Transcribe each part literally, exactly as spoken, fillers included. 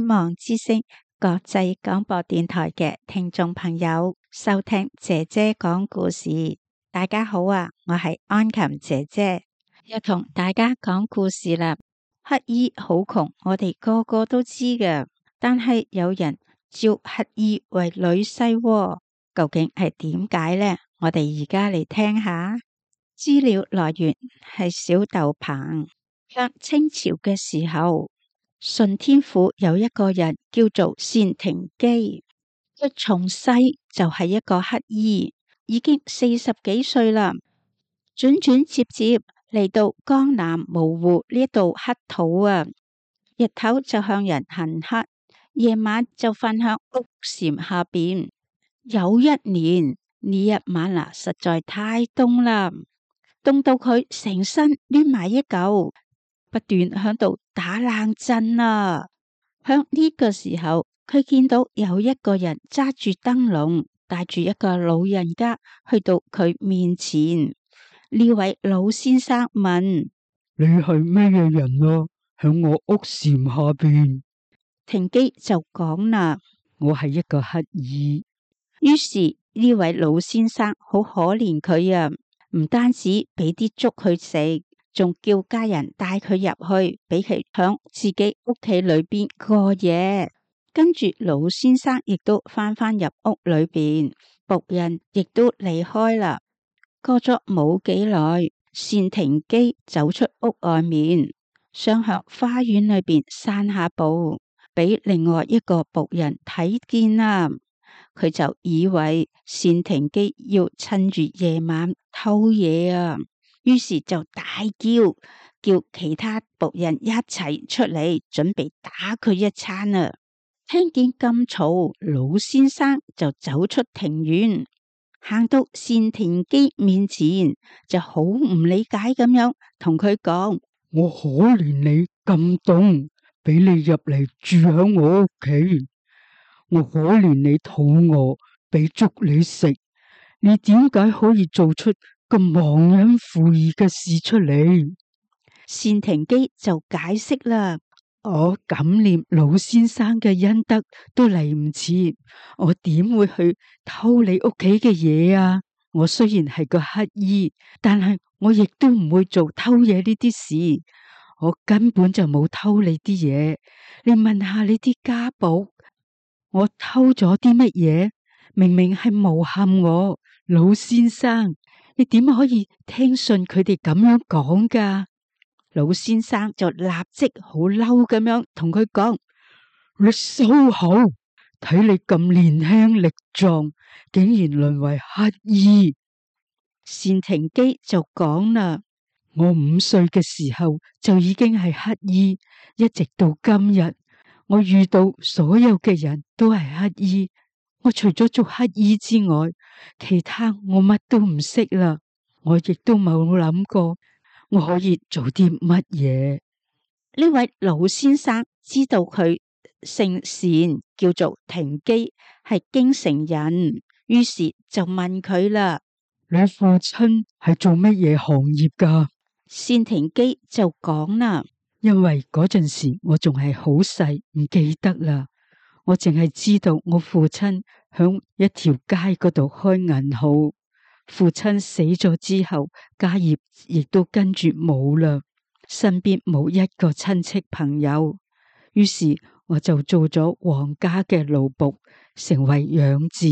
希望之聲國際廣播電台嘅聽眾朋友收聽姐姐講故事。大家好啊，我係安琴姐姐，又同大家講故事啦。乞兒好窮，我哋個個都知㗎，但係有人召乞兒為女婿喎，究竟係點解呢？我哋而家嚟聽下。資料來源係小豆棚。向清朝嘅時候，順天府有一個人叫做單廷基，佢從細就係一個乞兒，已經四十幾歲啦，轉轉接接嚟到江南蕪湖呢度乞討啊，日頭就向人行乞，夜晚就瞓響屋檐下邊。有一年呢一晚啊，實在太凍啦，凍到佢成身攣埋一嚿，不斷響度打冷震啊！響呢個時候，佢見到有一個人揸住燈籠，帶住一個老人家去到佢面前。呢位老先生問：你係咩嘢人啊？響我屋檐下邊。廷基就講啦：我係一個乞兒。於是呢位老先生好可憐佢啊，唔單止俾啲粥佢食，仲叫家人帶佢入去，俾佢響自己屋企裏邊過夜。跟住老先生亦都翻返入屋裏邊，僕人亦都離開啦。過咗冇幾耐，單廷基走出屋外面，想向花園裏邊散下步，俾另外一個僕人睇見啦。佢就以為單廷基要趁住夜晚偷嘢啊，於是就大叫，叫其他僕人一齊出嚟，準備打佢一餐啊！聽見咁嘈，老先生就走出庭院，行到單廷基面前，就好唔理解咁樣同佢講：我可憐你咁凍，俾你入嚟住響我屋企。我可憐你肚餓，俾粥你食。你點解可以做出咁忘恩負義嘅事出嚟？單廷基就解釋啦：我感念老先生嘅恩德都嚟唔切，我點會去偷你屋企嘅嘢啊？我雖然係個乞兒，但係我亦都唔會做偷嘢呢啲事。我根本就冇偷你啲嘢。你問下你啲家僕，我偷咗啲乜嘢？明明係誣陷我。老先生，你點可以聽信佢哋咁樣講噶？老先生就立即好嬲咁樣同佢講：你收口！睇你咁年輕力壯，竟然淪為乞兒。單廷基就講啦：我五歲嘅時候就已經係乞兒，一直到今日，我遇到所有嘅人都係乞兒。我除咗做乞兒之外，其他我乜都唔識啦。我亦都冇諗過我可以做啲乜嘢。呢位老先生知道佢姓單，叫做廷基，係京城人，於是就問佢啦：你父親係做乜嘢行業噶？單廷基就講啦：因為嗰陣時我仲係好細，唔記得啦。我淨係知道我父親響一條街嗰度開銀號。父親死咗之後，家業亦都跟住冇啦，身邊冇一個親戚朋友。於是我就做咗皇家嘅奴僕，成為養子。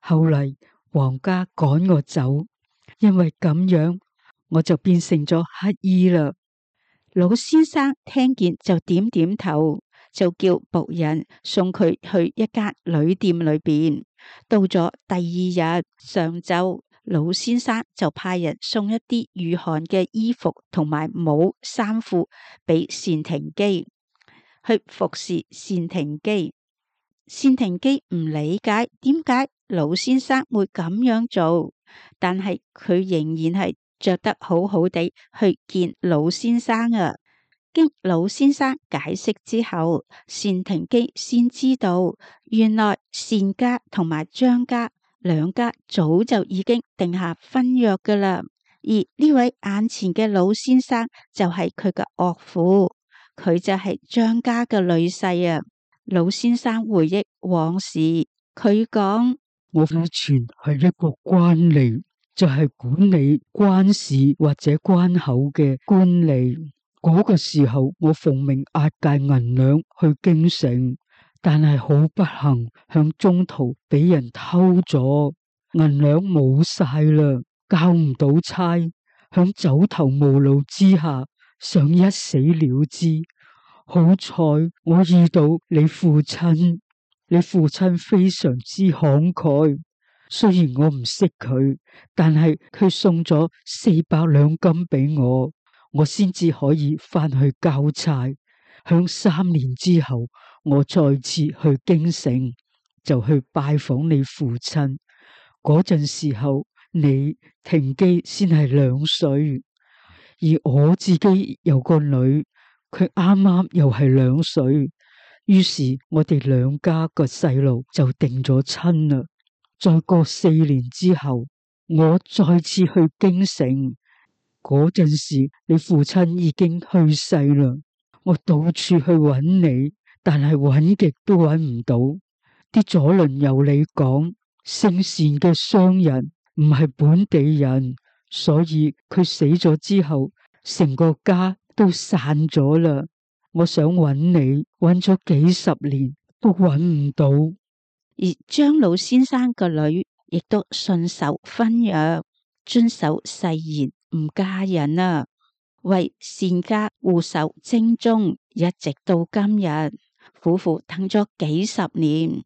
後嚟皇家趕我走，因為咁樣我就變成咗乞兒啦。老先生聽見就點點頭，就叫僕人送佢去一間旅店裏邊。到咗第二日上晝，老先生就派人送一啲御寒嘅衣服同埋帽衫褲俾單廷基，去服侍單廷基。單廷基唔理解點解老先生會咁樣做，但係佢仍然係着得好好地去見老先生啊。經老先生解釋之後，單廷基先知道原來單家同埋張家兩家早就已經定下婚約噶啦，而呢位眼前嘅老先生就係佢嘅岳父，佢就係張家嘅女婿啊。老先生回憶往事，佢講：我以前係一個官吏，就係管理關市或者關口嘅官吏。嗰個時候，我奉命押解銀兩去京城，但係好不幸，向中途俾人偷咗，銀兩冇晒啦，交唔到差，響走投無路之下，想一死了之。好彩我遇到你父親，你父親非常之慷慨，雖然我唔識佢，但係佢送咗四百兩金俾我，我先至可以翻去交差。響三年之後，我再次去京城，就去拜訪你父親。嗰陣時候，你停機先係兩歲，而我自己有個女，佢啱啱又係兩歲，於是我哋兩家個細路就定咗親啦。再過四年之後，我再次去京城，嗰陣時你父親已經去世啦。我到處去揾你，但係揾極都揾唔到。啲左鄰右里講，姓單嘅商人唔係本地人，所以佢死咗之後，成個家都散咗啦。我想揾你，揾咗幾十年都揾唔到。而張老先生個女亦都信守婚約，遵守誓言，唔嫁人啊，為單家護守正宗，一直到今日，苦苦等咗幾十年。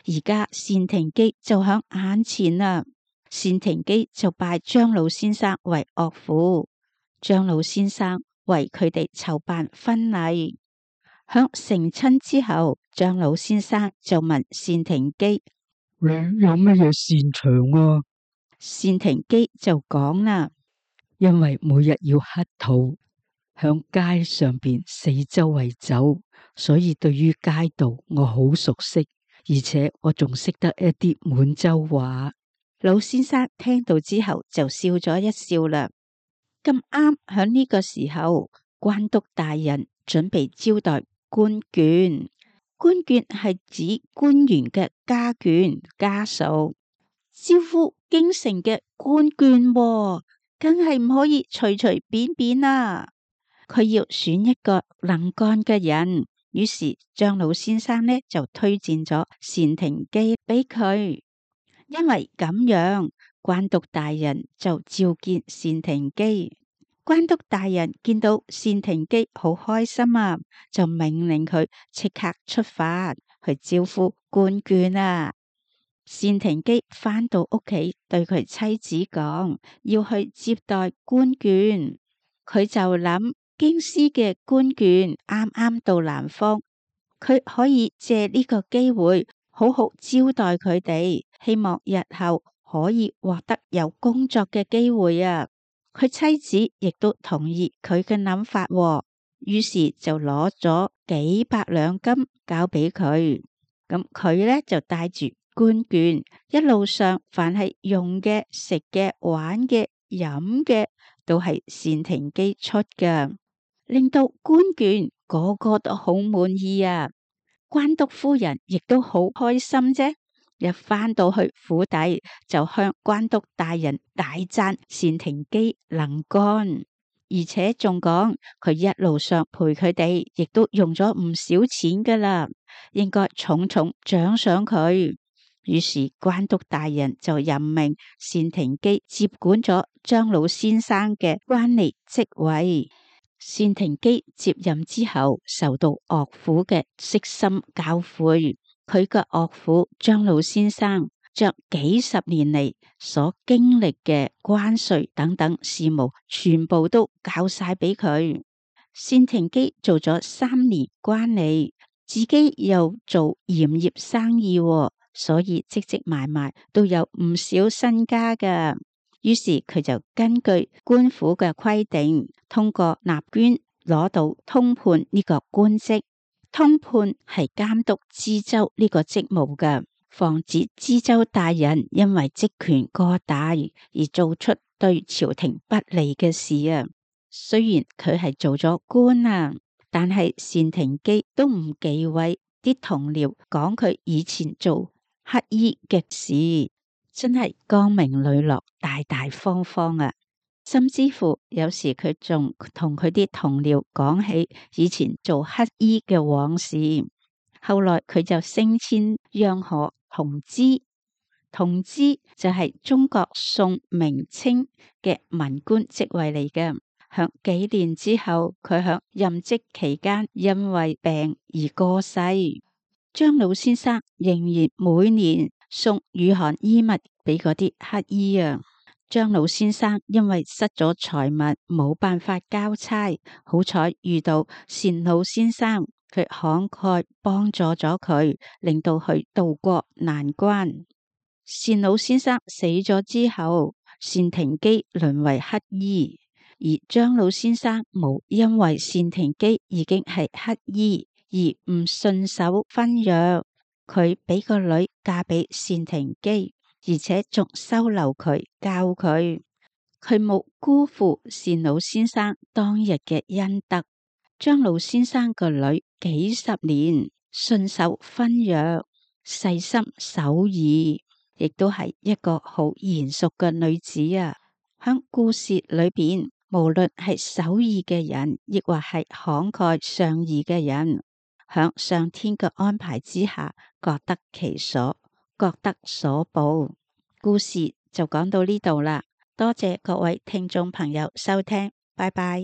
而家單廷基就響眼前啦，單廷基就拜張老先生為岳父，張老先生為佢哋籌辦婚禮。響成親之後，張老先生就問單廷基：你有乜嘢擅長啊？單廷基就講啦：因為每日要乞討，響街上邊四周圍走，所以對於街道我好熟悉。而且我仲識得一啲滿洲話。老先生聽到之後就笑咗一笑啦。咁啱響呢個時候，關督大人準備招待官眷。官眷係指官員嘅家眷家屬，招呼京城嘅官眷，梗係唔可以隨隨便便啦。佢要選一個能幹嘅人。於是張老先生呢就推薦咗單廷基俾佢，因為咁樣關督大人就召見單廷基。關督大人見到單廷基好開心啊，就命令佢即刻出發去招呼官眷啊。單廷基返到屋企，對佢妻子講要去接待官眷，佢就諗。京師嘅官眷啱啱到南方，佢可以借呢個機會好好招待佢哋，希望日後可以獲得有工作嘅機會啊！佢妻子亦都同意佢嘅諗法，於是就攞咗幾百兩金交俾佢。咁佢咧就帶住官眷，一路上凡係用嘅、食嘅、玩嘅、飲嘅，都係單廷基出㗎。令到官眷個個都好滿意啊！關督夫人亦都好開心啫，一返到去府邸就向關督大人大讚單廷基能幹，而且仲講佢一路上陪佢哋，亦都用咗唔少錢噶啦，應該重重獎賞佢。於是關督大人就任命單廷基接管咗張老先生嘅關吏職位。單廷基接任之後，受到岳父嘅悉心教誨，佢嘅岳父張老先生將幾十年嚟所經歷嘅關稅等等事務，全部都教晒俾佢。單廷基做咗三年關吏，自己又做鹽業生意，所以積積埋埋都有唔少身家㗎。於是佢就根據官府嘅規定，通過納捐攞到通判呢個官職。通判係監督知州呢個職務嘅，防止知州大人因為職權過大而做出對朝廷不利嘅事啊。雖然佢係做咗官啊，但係單廷基都唔忌諱啲同僚講佢以前做乞兒嘅事，真係光明磊落、大大方方啊！甚至乎有時佢仲同佢啲同僚講起以前做乞兒嘅往事。後來佢就升遷央行同知，同知就係中國宋明清嘅文官職位嚟嘅。響幾年之後，佢響任職期間因為病而過世。張老先生仍然每年送御寒衣物俾嗰啲乞兒啊。張老先生因為失咗財物，冇辦法交差，好彩遇到單老先生，佢慷慨幫助咗佢，令到佢渡過難關。單老先生死咗之後，單廷基淪為乞兒，而張老先生冇因為單廷基已經係乞兒而唔順手婚約，佢俾個女嫁俾單廷基，而且仲收留佢教佢，佢冇辜負單老先生當日嘅恩德。張老先生個女幾十年順守婚約，細心守義，亦都係一個好賢淑嘅女子啊！響故事裏邊，無論係守義嘅人，亦或係慷慨尚義嘅人，響上天嘅安排之下，各得其所，各得所報。故事就講到呢度啦，多謝各位聽眾朋友收聽，拜拜。